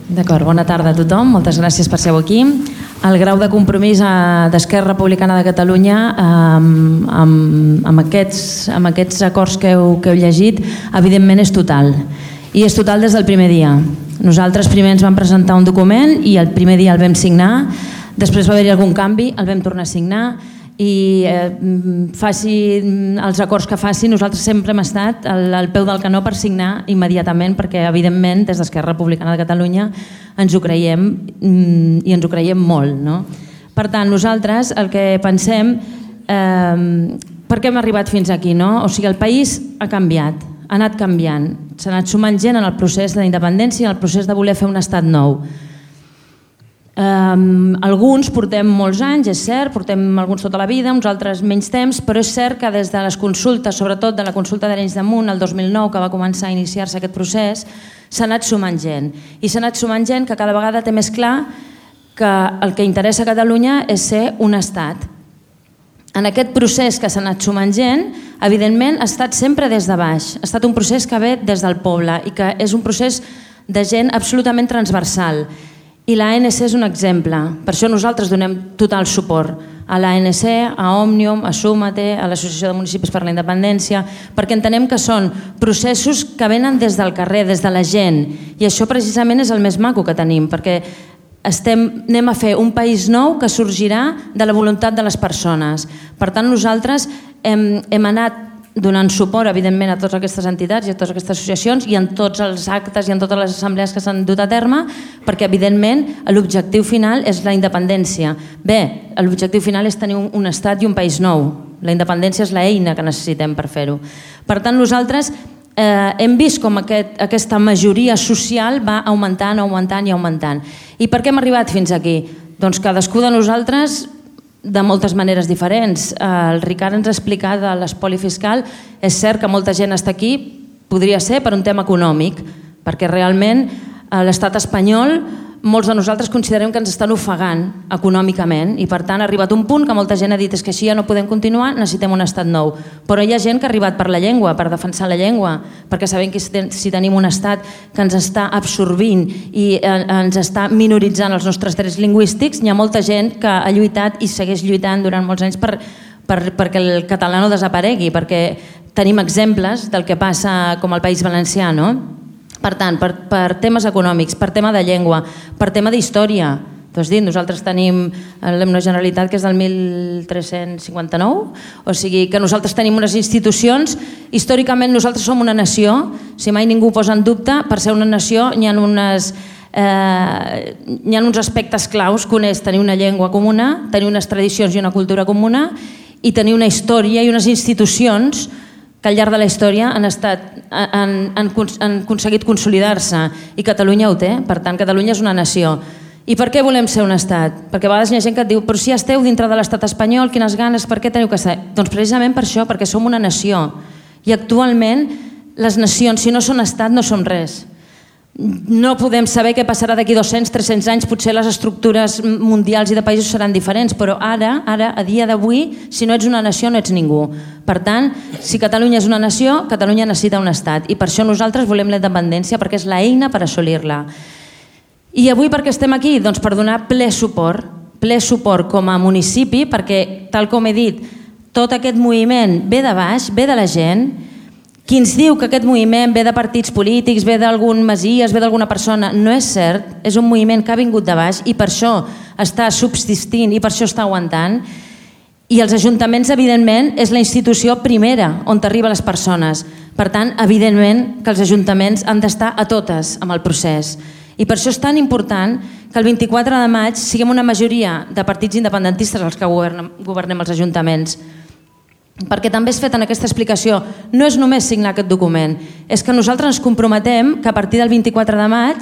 D'acord, bona tarda a tothom, moltes gràcies per ser aquí. El grau de compromís d'Esquerra Republicana de Catalunya amb aquests acords que heu llegit, evidentment és total. I és total des del primer dia. Nosaltres primer ens vam presentar un document i el primer dia el vam signar, després va haver-hi algun canvi, el vam tornar a signar i faci els acords que faci, nosaltres sempre hem estat al peu del canó per signar immediatament, perquè evidentment des d'Esquerra Republicana de Catalunya ens ho creiem i ens ho creiem molt, no? Per tant, nosaltres el que pensem, per què hem arribat fins aquí, no? O sigui, el país ha canviat, ha anat canviant, s'ha anat sumant gent en el procés de la independència i en el procés de voler fer un estat nou. Alguns portem molts anys, és cert, portem alguns tota la vida, uns altres menys temps, però és cert que des de les consultes, sobretot de la consulta d'Arenys de Munt el 2009, que va començar a iniciar-se aquest procés, s'ha anat sumant gent. I s'ha anat sumant gent que cada vegada té més clar que el que interessa a Catalunya és ser un estat. En aquest procés que s'ha anat sumant gent, evidentment ha estat sempre des de baix, ha estat un procés que ve des del poble i que és un procés de gent absolutament transversal. I l'ANC és un exemple, per això nosaltres donem total suport a l'ANC, a Òmnium, a Súmate, a l'Associació de Municipis per la Independència, perquè entenem que són processos que venen des del carrer, des de la gent, i això precisament és el més maco que tenim, perquè anem a fer un país nou que sorgirà de la voluntat de les persones. Per tant, nosaltres hem anat donant suport, evidentment, a totes aquestes entitats i a totes aquestes associacions i en tots els actes i en totes les assemblees que s'han dut a terme, perquè, evidentment, l'objectiu final és la independència. Bé, l'objectiu final és tenir un estat i un país nou. La independència és l'eina que necessitem per fer-ho. Per tant, nosaltres hem vist com aquesta majoria social va augmentant, augmentant i augmentant. I per què hem arribat fins aquí? Doncs cadascú de nosaltres de moltes maneres diferents. El Ricard ens ha explicat de l'espoli fiscal. És cert que molta gent està aquí, podria ser per un tema econòmic, perquè realment l'estat espanyol, molts de nosaltres considerem que ens estan ofegant econòmicament i per tant ha arribat un punt que molta gent ha dit és que així ja no podem continuar, necessitem un estat nou. Però hi ha gent que ha arribat per la llengua, per defensar la llengua, perquè sabem que si tenim un estat que ens està absorbint i ens està minoritzant els nostres drets lingüístics, hi ha molta gent que ha lluitat i segueix lluitant durant molts anys perquè el català no desaparegui, perquè tenim exemples del que passa com al País Valencià, no? Per tant, per temes econòmics, per tema de llengua, per tema d'història. Tu has dit, nosaltres tenim l'himne Generalitat que és del 1359, o sigui que nosaltres tenim unes institucions, històricament nosaltres som una nació, si mai ningú ho posa en dubte, per ser una nació hi ha uns aspectes claus, que un és tenir una llengua comuna, tenir unes tradicions i una cultura comuna i tenir una història i unes institucions que al llarg de la història han aconseguit consolidar-se i Catalunya ho té, per tant Catalunya és una nació. I per què volem ser un estat? Perquè a vegades hi ha gent que et diu però si ja esteu dintre de l'estat espanyol, quines ganes, per què teniu que ser? Doncs precisament per això, perquè som una nació i actualment les nacions, si no són estat, no som res. No podem saber què passarà d'aquí 200-300 anys, potser les estructures mundials i de països seran diferents, però ara, a dia d'avui, si no ets una nació no ets ningú. Per tant, si Catalunya és una nació, Catalunya necessita un estat i per això nosaltres volem la independència, perquè és l'eina per assolir-la. I avui per què estem aquí? Doncs per donar ple suport com a municipi, perquè, tal com he dit, tot aquest moviment ve de baix, ve de la gent. Qui ens diu que aquest moviment ve de partits polítics, ve d'algun masies, ve d'alguna persona, no és cert, és un moviment que ha vingut de baix i per això està subsistint i per això està aguantant. I els ajuntaments, evidentment, és la institució primera on t'arriben les persones. Per tant, evidentment que els ajuntaments han d'estar a totes amb el procés. I per això és tan important que el 24 de maig siguem una majoria de partits independentistes els que governem els ajuntaments. Perquè també és fet en aquesta explicació, no és només signar aquest document, és que nosaltres ens comprometem que a partir del 24 de maig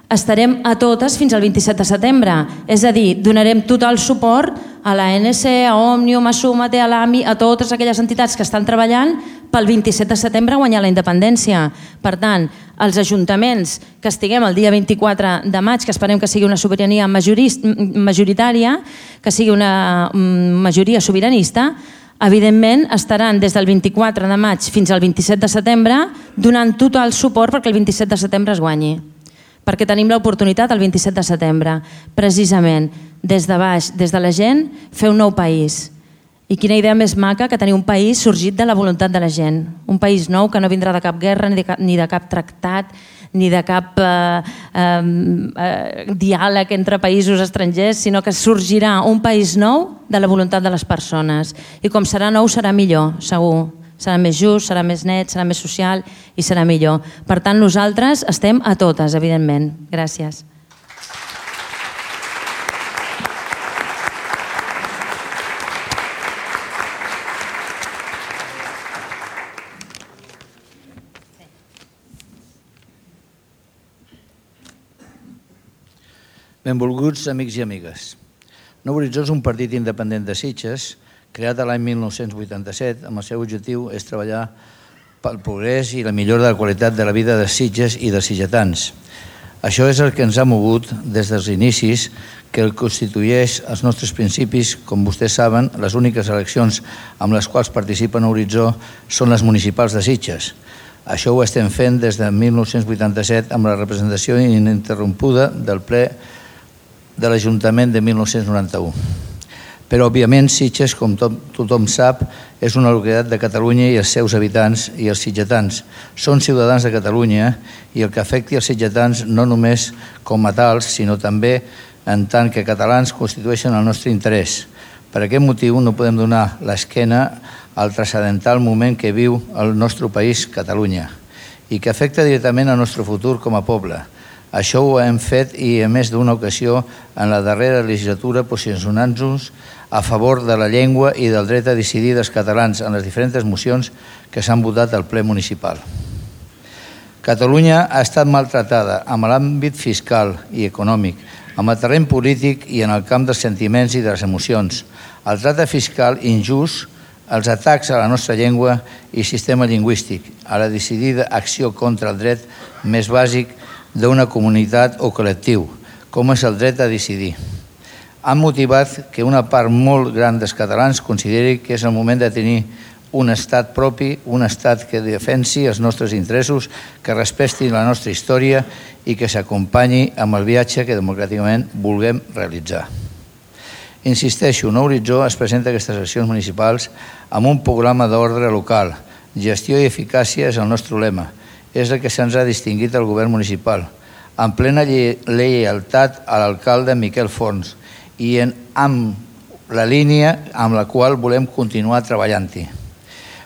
estarem a totes fins al 27 de setembre. És a dir, donarem total suport a l'ANC, a Òmnium, a Súmate, a l'AMI, a totes aquelles entitats que estan treballant pel 27 de setembre a guanyar la independència. Per tant, els ajuntaments que estiguem el dia 24 de maig, que esperem que sigui una sobirania majoritària, que sigui una majoria sobiranista, evidentment estaran des del 24 de maig fins al 27 de setembre donant tot el suport perquè el 27 de setembre es guanyi. perquè tenim l'oportunitat el 27 de setembre, precisament, des de baix, des de la gent, fer un nou país. I quina idea més maca que tenir un país sorgit de la voluntat de la gent. Un país nou que no vindrà de cap guerra, ni de cap tractat, ni de cap diàleg entre països estrangers, sinó que sorgirà un país nou de la voluntat de les persones. I com serà nou, serà millor, segur. Serà més just, serà més net, serà més social i serà millor. Per tant, nosaltres estem a totes, evidentment. Gràcies. Benvolguts amics i amigues. Nou Horitzó és un partit independent de Sitges, creat l'any 1987, amb el seu objectiu és treballar pel progrés i la millora de la qualitat de la vida de Sitges i dels sitgetans. Això és el que ens ha mogut des dels inicis, que el constitueix els nostres principis. Com vostès saben, les úniques eleccions amb les quals participa Nou Horitzó són les municipals de Sitges. Això ho estem fent des de 1987 amb la representació ininterrompuda del ple de l'Ajuntament de 1991. Però, òbviament, Sitges, com tothom sap, és una localitat de Catalunya i els seus habitants i els sitgetans. Són ciutadans de Catalunya i el que afecti els sitgetans no només com a tals, sinó també en tant que catalans constitueixen el nostre interès. Per aquest motiu no podem donar l'esquena al transcendental moment que viu el nostre país, Catalunya, i que afecta directament el nostre futur com a poble. Això ho hem fet i en més d'una ocasió en la darrera legislatura posicionant-nos a favor de la llengua i del dret a decidir dels catalans en les diferents mocions que s'han votat al ple municipal. Catalunya ha estat maltratada en l'àmbit fiscal i econòmic, en el terreny polític i en el camp dels sentiments i de les emocions. El tracte fiscal injust, els atacs a la nostra llengua i sistema lingüístic, a la decidida acció contra el dret més bàsic d'una comunitat o col·lectiu, com és el dret a decidir. Han motivat que una part molt gran dels catalans consideri que és el moment de tenir un estat propi, un estat que defensi els nostres interessos, que respecti la nostra història i que s'acompanyi amb el viatge que democràticament vulguem realitzar. Insisteixo, Nou Horitzó es presenta a aquestes eleccions municipals amb un programa d'ordre local. Gestió i eficàcia és el nostre lema. És el que se'ns ha distingit al govern municipal, en plena lleialtat a l'alcalde Miquel Forns i amb la línia amb la qual volem continuar treballant-hi.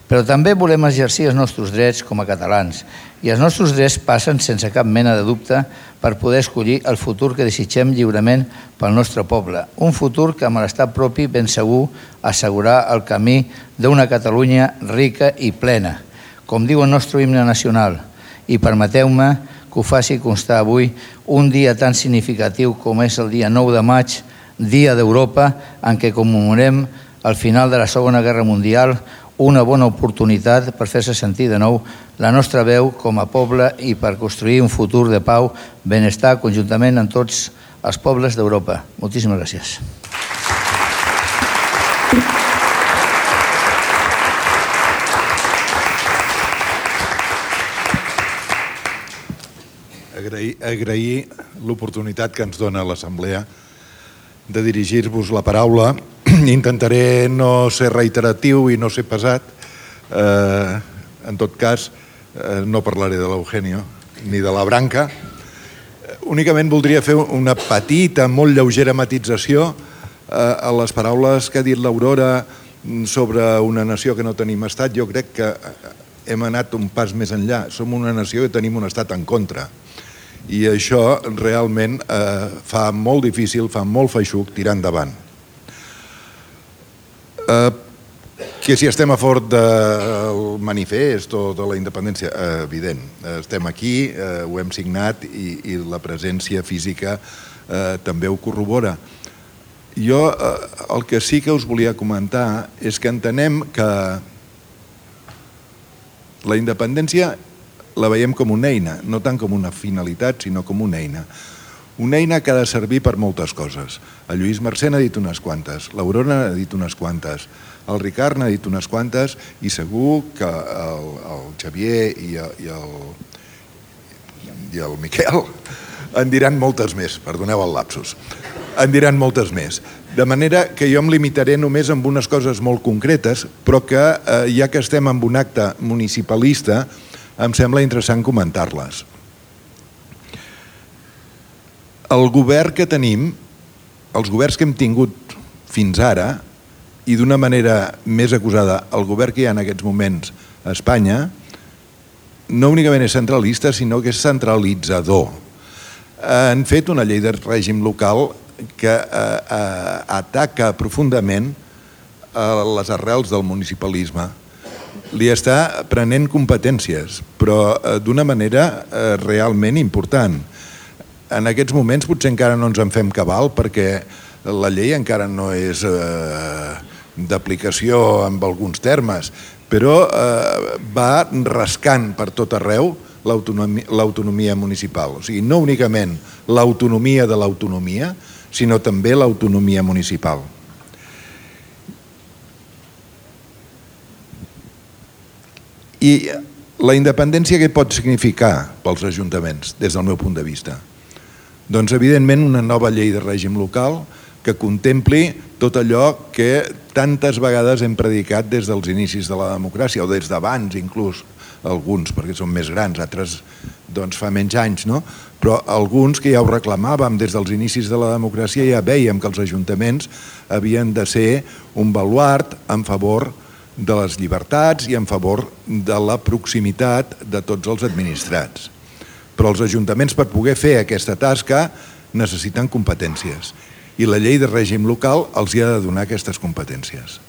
Però també volem exercir els nostres drets com a catalans i els nostres drets passen sense cap mena de dubte per poder escollir el futur que desitgem lliurement pel nostre poble. Un futur que amb l'estat propi ben segur assegurarà el camí d'una Catalunya rica i plena, com diu el nostre himne nacional. I permeteu-me que ho faci constar avui un dia tan significatiu com és el dia 9 de maig, Dia d'Europa, en què commemorem el final de la Segona Guerra Mundial, una bona oportunitat per fer-se sentir de nou la nostra veu com a poble i per construir un futur de pau, benestar conjuntament amb tots els pobles d'Europa. Moltíssimes gràcies. Agrair l'oportunitat que ens dona l'Assemblea de dirigir-vos la paraula. Intentaré no ser reiteratiu i no ser pesat. En tot cas, no parlaré de l'Eugenio ni de la Branca. Únicament voldria fer una petita, molt lleugera matització a les paraules que ha dit l'Aurora sobre una nació que no tenim estat. Jo crec que hem anat un pas més enllà. Som una nació i tenim un estat en contra. I això realment fa molt difícil, fa molt feixuc tirar endavant. Que si estem a favor del manifest o de la independència, evident. Estem aquí, ho hem signat i la presència física també ho corrobora. Jo el que sí que us volia comentar és que entenem que la independència la veiem com una eina, no tant com una finalitat, sinó com una eina. Una eina que ha de servir per moltes coses. El Lluís Mercè n'ha dit unes quantes, l'Aurora n'ha dit unes quantes, el Ricard n'ha dit unes quantes i segur que el Xavier i el Miquel En diran moltes més, perdoneu el lapsus. En diran moltes més. De manera que jo em limitaré només amb unes coses molt concretes, però que, ja que estem en un acte municipalista, em sembla interessant comentar-les. El govern que tenim, els governs que hem tingut fins ara, i d'una manera més acusada, el govern que hi ha en aquests moments a Espanya, no únicament és centralista, sinó que és centralitzador. Han fet una llei de règim local que ataca profundament les arrels del municipalisme. Li està prenent competències, però d'una manera realment important. En aquests moments potser encara no ens en fem cabal perquè la llei encara no és d'aplicació en alguns termes, però va rascant per tot arreu l'autonomia municipal. O sigui, no únicament l'autonomia de l'autonomia, sinó també l'autonomia municipal. I la independència què pot significar pels ajuntaments, des del meu punt de vista? Doncs, evidentment, una nova llei de règim local que contempli tot allò que tantes vegades hem predicat des dels inicis de la democràcia, o des d'abans inclús, alguns perquè són més grans, altres doncs fa menys anys, no? Però alguns que ja ho reclamàvem des dels inicis de la democràcia ja vèiem que els ajuntaments havien de ser un baluard en favor de les llibertats i en favor de la proximitat de tots els administrats. Però els ajuntaments, per poder fer aquesta tasca, necessiten competències. I la llei de règim local els hi ha de donar aquestes competències.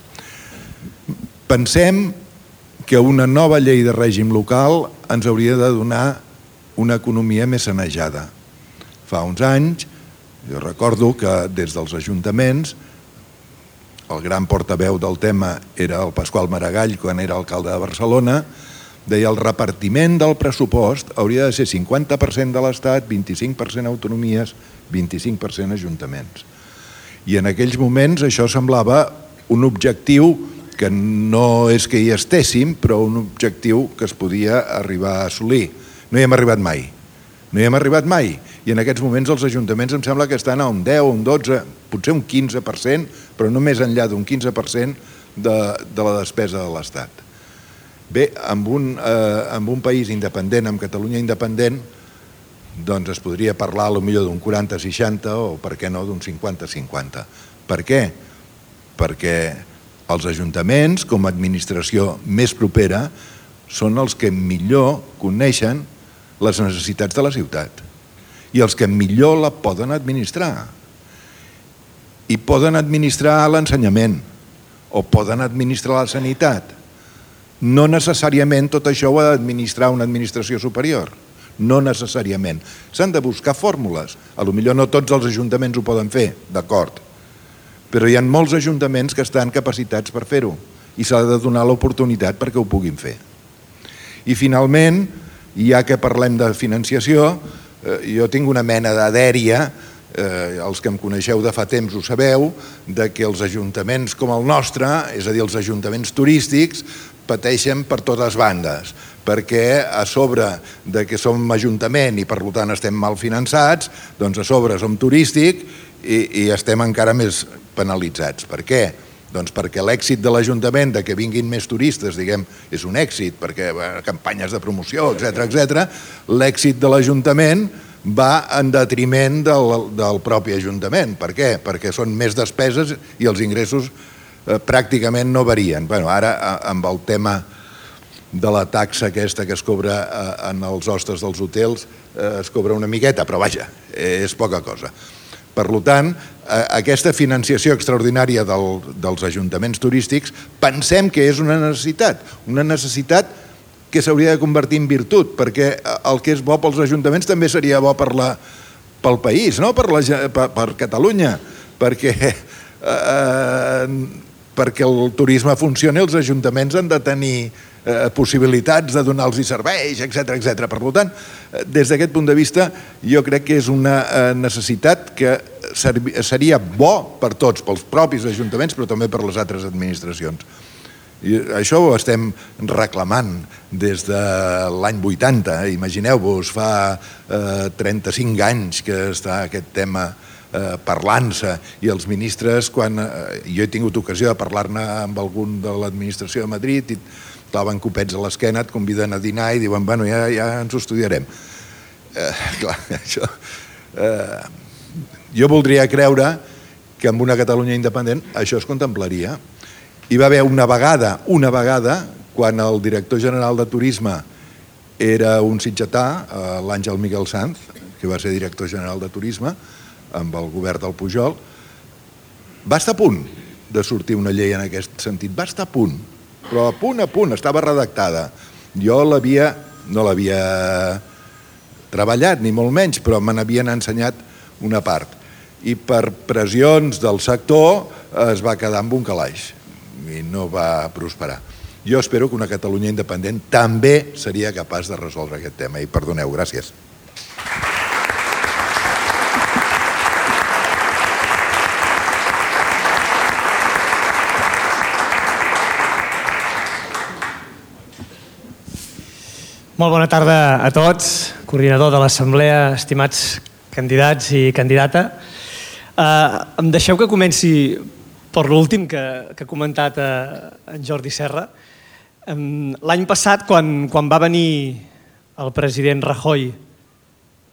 Pensem que una nova llei de règim local ens hauria de donar una economia més sanejada. Fa uns anys, jo recordo que des dels ajuntaments, el gran portaveu del tema era el Pasqual Maragall, quan era alcalde de Barcelona, deia el repartiment del pressupost hauria de ser 50% de l'Estat, 25% autonomies, 25% ajuntaments. I en aquells moments això semblava un objectiu que no és que hi estéssim, però un objectiu que es podia arribar a assolir. No hi hem arribat mai. No hi hem arribat mai. I en aquests moments els ajuntaments em sembla que estan a un 10, un 12, potser un 15%, però no més enllà d'un 15% de la despesa de l'Estat. Bé, amb un país independent, amb Catalunya independent, doncs es podria parlar potser d'un 40-60 o, per què no, d'un 50-50. Per què? Perquè els ajuntaments, com a administració més propera, són els que millor coneixen les necessitats de la ciutat i els que millor la poden administrar. I poden administrar l'ensenyament o poden administrar la sanitat. No necessàriament tot això ho ha d'administrar una administració superior. No necessàriament. S'han de buscar fórmules. Potser no tots els ajuntaments ho poden fer, d'acord. Però hi ha molts ajuntaments que estan capacitats per fer-ho i s'ha de donar l'oportunitat perquè ho puguin fer. I finalment, ja que parlem de financiació, jo tinc una mena de dèria, els que em coneixeu de fa temps ho sabeu, de que els ajuntaments com el nostre, és a dir, els ajuntaments turístics, pateixen per totes bandes, perquè a sobre de que som ajuntament i per tant estem mal finançats, doncs a sobre som turístic i estem encara més penalitzats. Per què? Doncs perquè l'èxit de l'Ajuntament de que vinguin més turistes, diguem, és un èxit, perquè campanyes de promoció, etc. L'èxit de l'Ajuntament va en detriment del propi Ajuntament. Per què? Perquè són més despeses i els ingressos pràcticament no varien. Ara, amb el tema de la taxa aquesta que es cobra en els hostes dels hotels, es cobra una miqueta, però vaja, és poca cosa. Per tant, aquesta financiació extraordinària dels ajuntaments turístics pensem que és una necessitat que s'hauria de convertir en virtut, perquè el que és bo pels ajuntaments també seria bo pel país, no? Per Catalunya, perquè el turisme funcioni, els ajuntaments han de tenir possibilitats de donar-los serveis, etc. Per tant, des d'aquest punt de vista, jo crec que és una necessitat que seria bo per tots, pels propis ajuntaments, però també per les altres administracions. I això ho estem reclamant des de l'any 80. Imagineu-vos, fa 35 anys que està aquest tema parlant-se, i els ministres, quan jo he tingut ocasió de parlar-ne amb algun de l'administració de Madrid, i claven copets a l'esquena, et conviden a dinar i diuen, bueno, ja ens ho estudiarem. Clar, això... Jo voldria creure que amb una Catalunya independent això es contemplaria. Hi va haver una vegada, quan el director general de Turisme era un sitgetà, l'Àngel Miguel Sanz, que va ser director general de Turisme, amb el govern del Pujol, va estar a punt de sortir una llei en aquest sentit. Va estar a punt, però a punt, estava redactada. Jo no l'havia treballat, ni molt menys, però me n'havien ensenyat una part. I per pressions del sector es va quedar amb un calaix i no va prosperar. Jo espero que una Catalunya independent també seria capaç de resoldre aquest tema. I perdoneu, gràcies. Molt bona tarda a tots, coordinador de l'Assemblea, estimats candidats i candidata. Em deixeu que comenci per l'últim que ha comentat en Jordi Serra. L'any passat, quan va venir el president Rajoy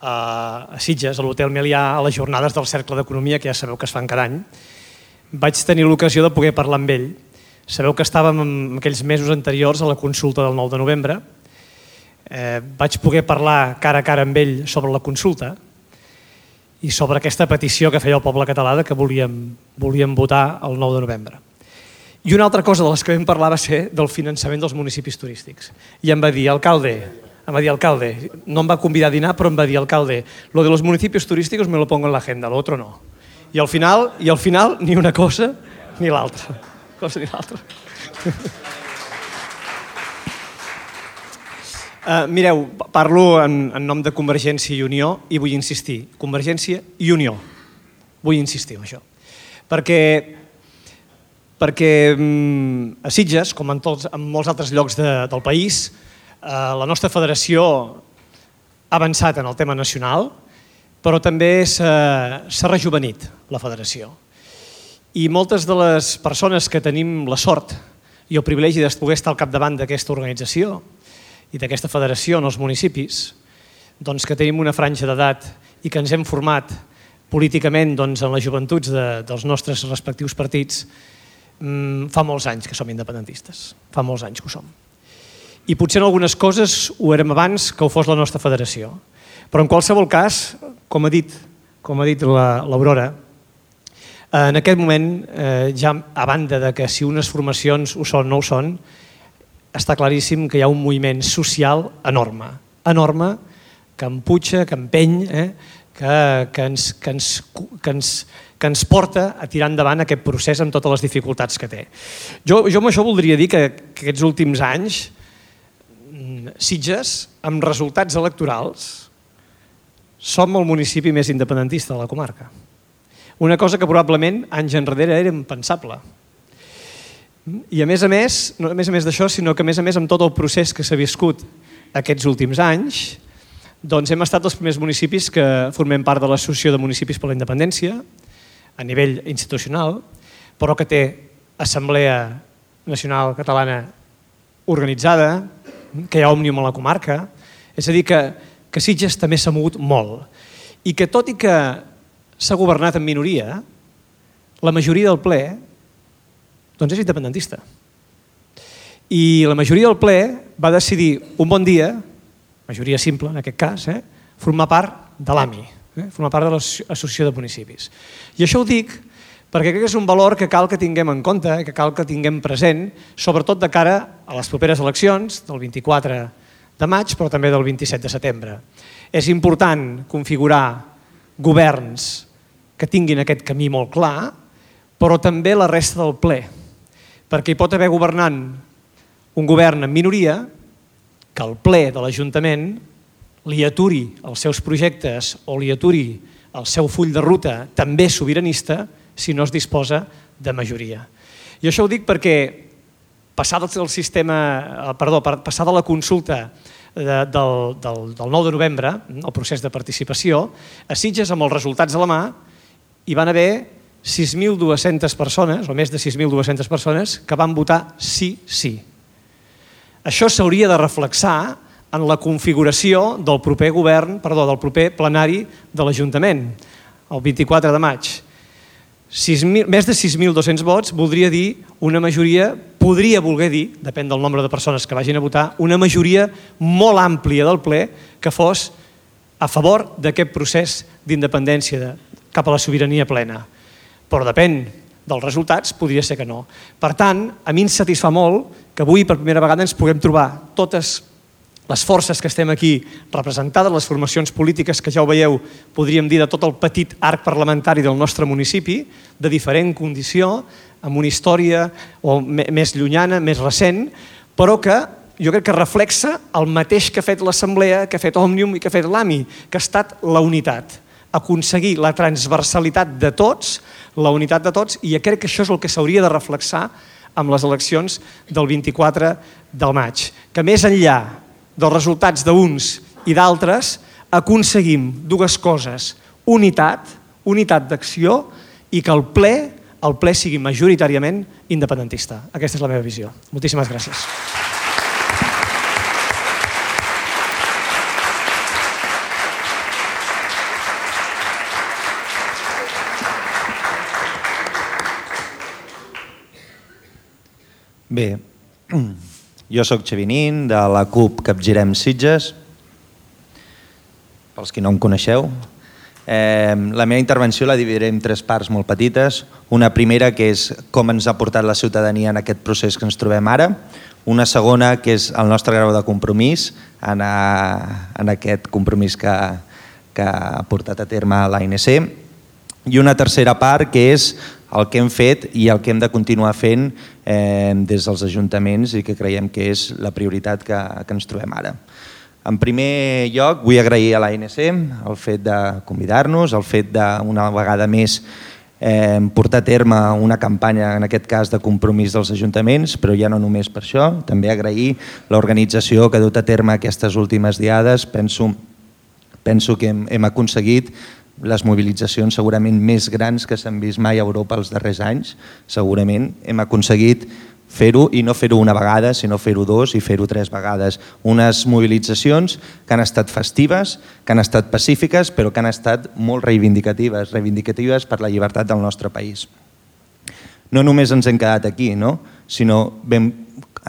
a Sitges, a l'Hotel Melià, a les jornades del Cercle d'Economia, que ja sabeu que es fan cada any, vaig tenir l'ocasió de poder parlar amb ell. Sabeu que estàvem en aquells mesos anteriors a la consulta del 9 de novembre. Vaig poder parlar cara a cara amb ell sobre la consulta i sobre aquesta petició que feia el poble català que volíem votar el 9 de novembre. I una altra cosa de les que vam parlar va ser del finançament dels municipis turístics. I em va dir, alcalde, no em va convidar a dinar, però em va dir, alcalde, lo de los municipios turísticos me lo pongo en la agenda, lo otro no. I al final, ni una cosa ni l'altra. Mireu, parlo en nom de Convergència i Unió i vull insistir, Convergència i Unió, vull insistir en això, perquè a Sitges, com en molts altres llocs del país, la nostra federació ha avançat en el tema nacional, però també s'ha rejuvenit la federació. I moltes de les persones que tenim la sort i el privilegi de poder estar al capdavant d'aquesta organització i d'aquesta federació en els municipis, doncs que tenim una franja d'edat i que ens hem format políticament en les joventuts dels nostres respectius partits, fa molts anys que som independentistes, fa molts anys que ho som. I potser en algunes coses ho érem abans que ho fos la nostra federació. Però en qualsevol cas, com ha dit l'Aurora, en aquest moment, ja a banda de que si unes formacions ho són o no ho són, està claríssim que hi ha un moviment social enorme, que empuja, que empeny, que ens porta a tirar endavant aquest procés amb totes les dificultats que té. Jo amb això voldria dir que aquests últims anys, Sitges, amb resultats electorals, som el municipi més independentista de la comarca. Una cosa que probablement anys enrere era impensable. I a més d'això, sinó que a més amb tot el procés que s'ha viscut aquests últims anys, doncs hem estat els primers municipis que formem part de l'Associació de Municipis per la Independència a nivell institucional, però que té Assemblea Nacional Catalana organitzada, que hi ha Òmnium a la comarca, és a dir, que Sitges també s'ha mogut molt i que tot i que s'ha governat en minoria, la majoria del ple doncs és independentista. I la majoria del ple va decidir un bon dia, majoria simple en aquest cas, formar part de l'AMI, formar part de l'Associació de Municipis. I això ho dic perquè crec que és un valor que cal que tinguem en compte, que cal que tinguem present, sobretot de cara a les properes eleccions del 24 de maig, però també del 27 de setembre. És important configurar governs que tinguin aquest camí molt clar, però també la resta del ple, perquè hi pot haver governant un govern en minoria que el ple de l'Ajuntament li aturi els seus projectes o li aturi el seu full de ruta també sobiranista si no es disposa de majoria. I això ho dic perquè passada la consulta del 9 de novembre, el procés de participació, a Sitges, amb els resultats a la mà, hi van haver 6.200 persones, o més de 6.200 persones, que van votar sí. Això s'hauria de reflexar en la configuració del proper plenari de l'Ajuntament, el 24 de maig. Més de 6.200 vots voldria dir una majoria, podria voler dir, depèn del nombre de persones que vagin a votar, una majoria molt àmplia del ple que fos a favor d'aquest procés d'independència cap a la sobirania plena. Però depèn dels resultats, podria ser que no. Per tant, a mi em satisfà molt que avui per primera vegada ens puguem trobar totes les forces que estem aquí representades, les formacions polítiques que ja ho veieu, podríem dir de tot el petit arc parlamentari del nostre municipi, de diferent condició, amb una història més llunyana, més recent, però que jo crec que reflexa el mateix que ha fet l'Assemblea, que ha fet Òmnium i que ha fet l'AMI, que ha estat la unitat, aconseguir la transversalitat de tots, la unitat de tots, i crec que això és el que s'hauria de reflexar amb les eleccions del 24 del maig. Que més enllà dels resultats d'uns i d'altres, aconseguim dues coses: unitat d'acció, i que el ple sigui majoritàriament independentista. Aquesta és la meva visió. Moltíssimes gràcies. Bé, jo soc Xavi Nin, de la CUP Capgirem Sitges, pels qui no em coneixeu. La meva intervenció la dividiré en 3 parts molt petites. Una primera, que és com ens ha portat la ciutadania en aquest procés que ens trobem ara. Una segona, que és el nostre grau de compromís en aquest compromís que ha portat a terme l'ANC. I una tercera part, que és el que hem fet i el que hem de continuar fent des dels ajuntaments i que creiem que és la prioritat que ens trobem ara. En primer lloc, vull agrair a l'ANC el fet de convidar-nos, el fet d'una vegada més portar a terme una campanya, en aquest cas de compromís dels ajuntaments, però ja no només per això, també agrair l'organització que ha dut a terme aquestes últimes diades. Penso que hem aconseguit les mobilitzacions segurament més grans que s'han vist mai a Europa els darrers anys. Segurament hem aconseguit fer-ho, i no fer-ho una vegada, sinó fer-ho 2 i fer-ho 3 vegades. Unes mobilitzacions que han estat festives, que han estat pacífiques, però que han estat molt reivindicatives per la llibertat del nostre país. No només ens hem quedat aquí, sinó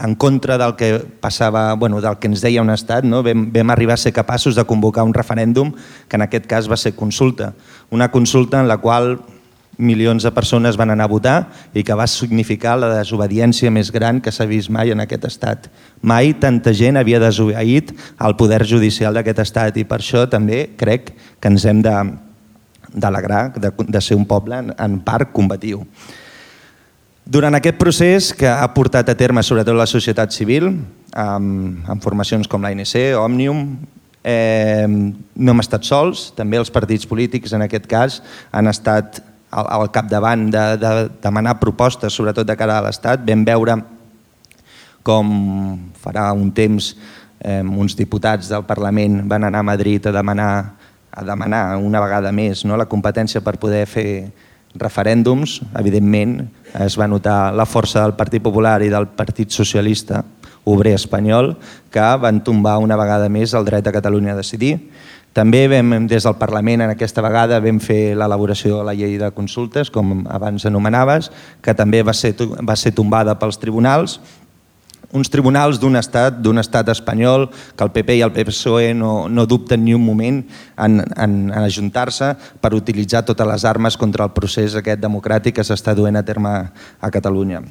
en contra del que passava, del que ens deia un estat, vam arribar a ser capaços de convocar un referèndum que en aquest cas va ser consulta. Una consulta en la qual milions de persones van anar a votar i que va significar la desobediència més gran que s'ha vist mai en aquest estat. Mai tanta gent havia desobeït el poder judicial d'aquest estat, i per això també crec que ens hem d'alegrar de ser un poble en part combatiu. Durant aquest procés que ha portat a terme sobretot la societat civil, amb formacions com l'ANC, Òmnium, no hem estat sols, també els partits polítics en aquest cas han estat al capdavant de demanar propostes, sobretot de cara a l'Estat. Vam veure com farà un temps uns diputats del Parlament van anar a Madrid a demanar una vegada més la competència per poder fer referèndums. Evidentment es va notar la força del Partit Popular i del Partit Socialista Obrer Espanyol, que van tombar una vegada més el dret de Catalunya a decidir. També des del Parlament aquesta vegada vam fer l'elaboració de la llei de consultes, com abans anomenaves, que també va ser tombada pels tribunals. Uns tribunals d'un estat espanyol que el PP i el PSOE no dubten ni un moment en ajuntar-se per utilitzar totes les armes contra el procés aquest democràtic que s'està duent a terme a Catalunya.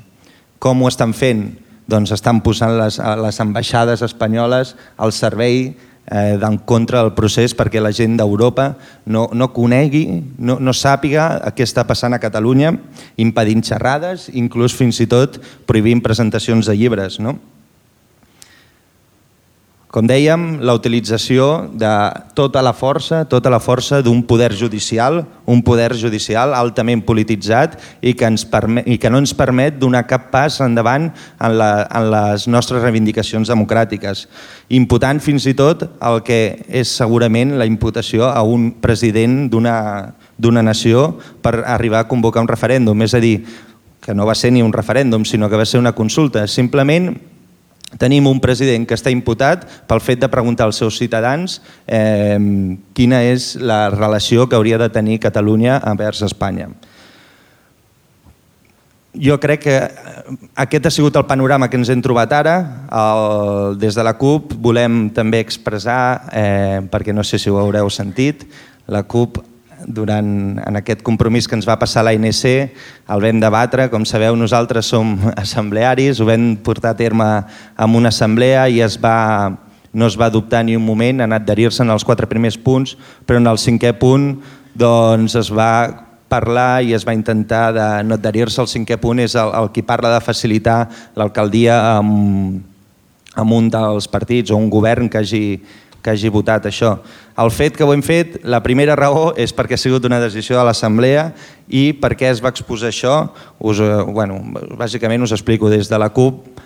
Com ho estan fent? Doncs estan posant les ambaixades espanyoles al servei en contra del procés perquè la gent d'Europa no conegui, no sàpiga què està passant a Catalunya, impedint xerrades, inclús fins i tot prohibint presentacions de llibres. Com dèiem, la utilització de tota la força d'un poder judicial, un poder judicial altament polititzat i que no ens permet donar cap pas endavant en les nostres reivindicacions democràtiques, imputant fins i tot el que és segurament la imputació a un president d'una nació per arribar a convocar un referèndum. És a dir, que no va ser ni un referèndum, sinó que va ser una consulta. Simplement tenim un president que està imputat pel fet de preguntar als seus ciutadans quina és la relació que hauria de tenir Catalunya envers Espanya. Jo crec que aquest ha sigut el panorama que ens hem trobat ara. Des de la CUP volem també expressar, perquè no sé si ho haureu sentit, la CUP en aquest compromís que ens va passar l'ANC el vam debatre. Com sabeu, nosaltres som assemblearis, ho vam portar a terme en una assemblea i no es va dubtar ni un moment en adherir-se en els 4 primers punts, però en el 5è punt doncs, es va parlar i es va intentar de no adherir-se. El 5è punt és el que parla de facilitar l'alcaldia amb un dels partits o un govern que hagi votat això. El fet que ho hem fet, la primera raó és perquè ha sigut una decisió de l'Assemblea. I per què es va exposar això? Bàsicament us explico. Des de la CUP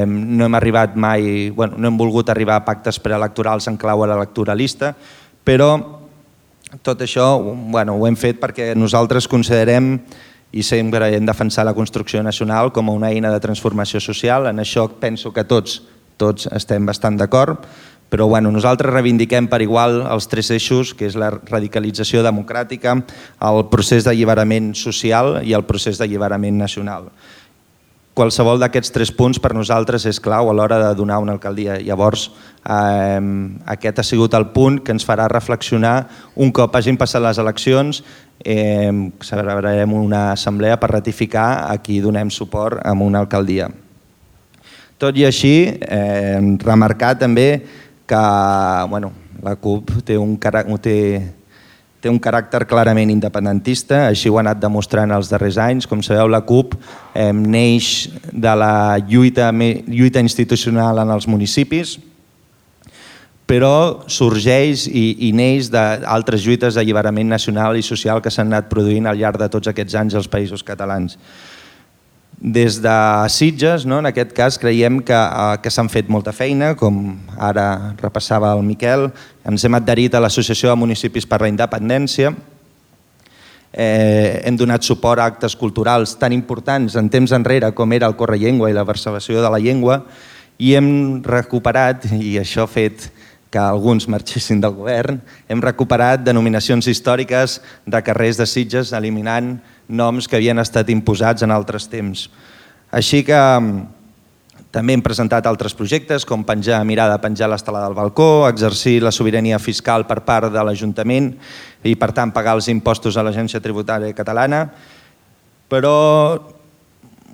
no hem volgut arribar a pactes preelectorals en clau electoralista, però tot això ho hem fet perquè nosaltres considerem i sempre hem defensat la construcció nacional com una eina de transformació social. En això penso que tots estem bastant d'acord. Però nosaltres reivindiquem per igual els 3 eixos, que és la radicalització democràtica, el procés d'alliberament social i el procés d'alliberament nacional. Qualsevol d'aquests 3 punts per nosaltres és clau a l'hora de donar una alcaldia. Llavors, aquest ha sigut el punt que ens farà reflexionar un cop hagin passat les eleccions. Celebrarem una assemblea per ratificar a qui donem suport a una alcaldia. Tot i així, remarcar també que la CUP té un caràcter clarament independentista, així ho ha anat demostrant els darrers anys. Com sabeu, la CUP neix de la lluita institucional en els municipis, però sorgeix i neix d'altres lluites d'alliberament nacional i social que s'han anat produint al llarg de tots aquests anys als països catalans. Des de Sitges, en aquest cas, creiem que s'han fet molta feina, com ara repassava el Miquel. Ens hem adherit a l'Associació de Municipis per la Independència. Hem donat suport a actes culturals tan importants en temps enrere com era el Correllengua i la versació de la llengua, i hem recuperat, i això ha fet que alguns marxessin del govern, hem recuperat denominacions històriques de carrers de Sitges, eliminant noms que havien estat imposats en altres temps. Així que també hem presentat altres projectes, com mirar de penjar l'estelada del balcó, exercir la sobirania fiscal per part de l'Ajuntament i, per tant, pagar els impostos a l'Agència Tributària Catalana. Però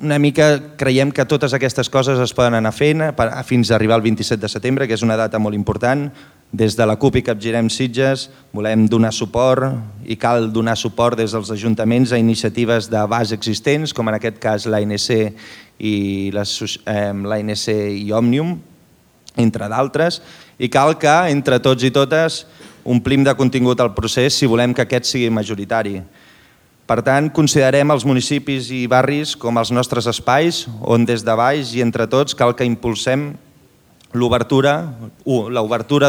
una mica creiem que totes aquestes coses es poden anar fent fins a arribar al 27 de setembre, que és una data molt important. Des de la CUP i Capgirem Sitges volem donar suport i cal donar suport des dels ajuntaments a iniciatives de base existents, com en aquest cas l'ANC i Òmnium, entre d'altres, i cal que entre tots i totes omplim de contingut el procés si volem que aquest sigui majoritari. Per tant, considerem els municipis i barris com els nostres espais on des de baix i entre tots cal que impulsem l'obertura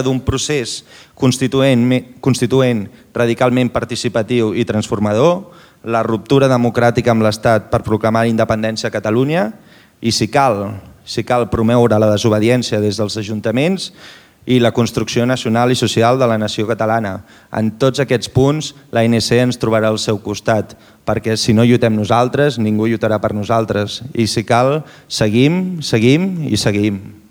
d'un procés constituent radicalment participatiu i transformador, la ruptura democràtica amb l'Estat per proclamar la independència a Catalunya i, si cal promoure la desobediència des dels ajuntaments i la construcció nacional i social de la nació catalana. En tots aquests punts l'ANC ens trobarà al seu costat, perquè si no lluitem nosaltres, ningú lluitarà per nosaltres. I si cal, seguim i seguim.